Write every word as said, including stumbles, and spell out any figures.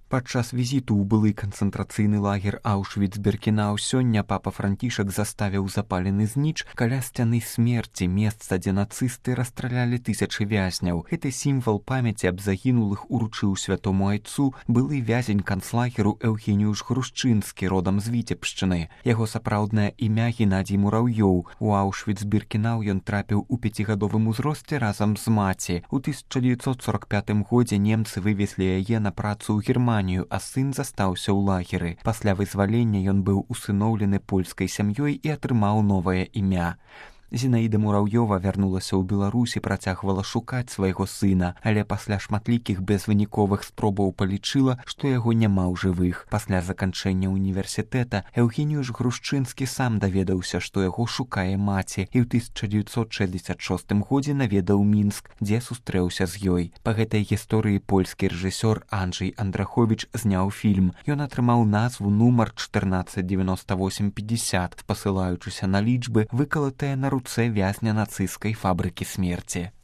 Падчас візіту ў былы канцэнтрацыйны лагер Аўшвіц-Біркенау сёння папа Францішак заставіў запалены зніч каля сцяны смерці, месца, дзе нацысты расстралялі тысячы вязняў. Гэты сімвал памяці аб загінулых уручыў святому айцу былы вязень канцлагеру Эўгеніюш Грушчынскі, родам з Віцебшчыны. Яго сапраўднае імя Геннадзій Мураўёў. У Аўшвіц-Біркенау ён трапіў у пяцігадовым узросце разам з маці. У тысяча дзевяцьсот сорок пятым годзе немцы вывезлі яе на працу ў Германію, а сын застаўся ў лагеры. Пасля вызвалення ён быў усыноўлены польскай сям'ёй і атрымаў новае імя. Зінаіда Мураўёва вярнулася ў Беларусь і працягвала шукаць свайго сына, але пасля шматлікіх безвыніковых спробаў палічыла, што яго няма ў жывых. Пасля заканчэння універсітэта Эўгеніюш Грушчынскі сам даведаўся, што яго шукае маці, і ў тысяча дзевяцьсот шэсцьдзесят шостым годзе наведаў Мінск, дзе сустрэўся з ёй. Па гэтай гісторыі польскі рэжысёр Анджэй Андраховіч зняў фільм. Ён атрымаў назву нумар чатырнаццаць дзевяноста восем пятьдесят, спасылаючыся на лічбы, выкалатыя на руцэ вязня нацысцкай фабрыкі смерці.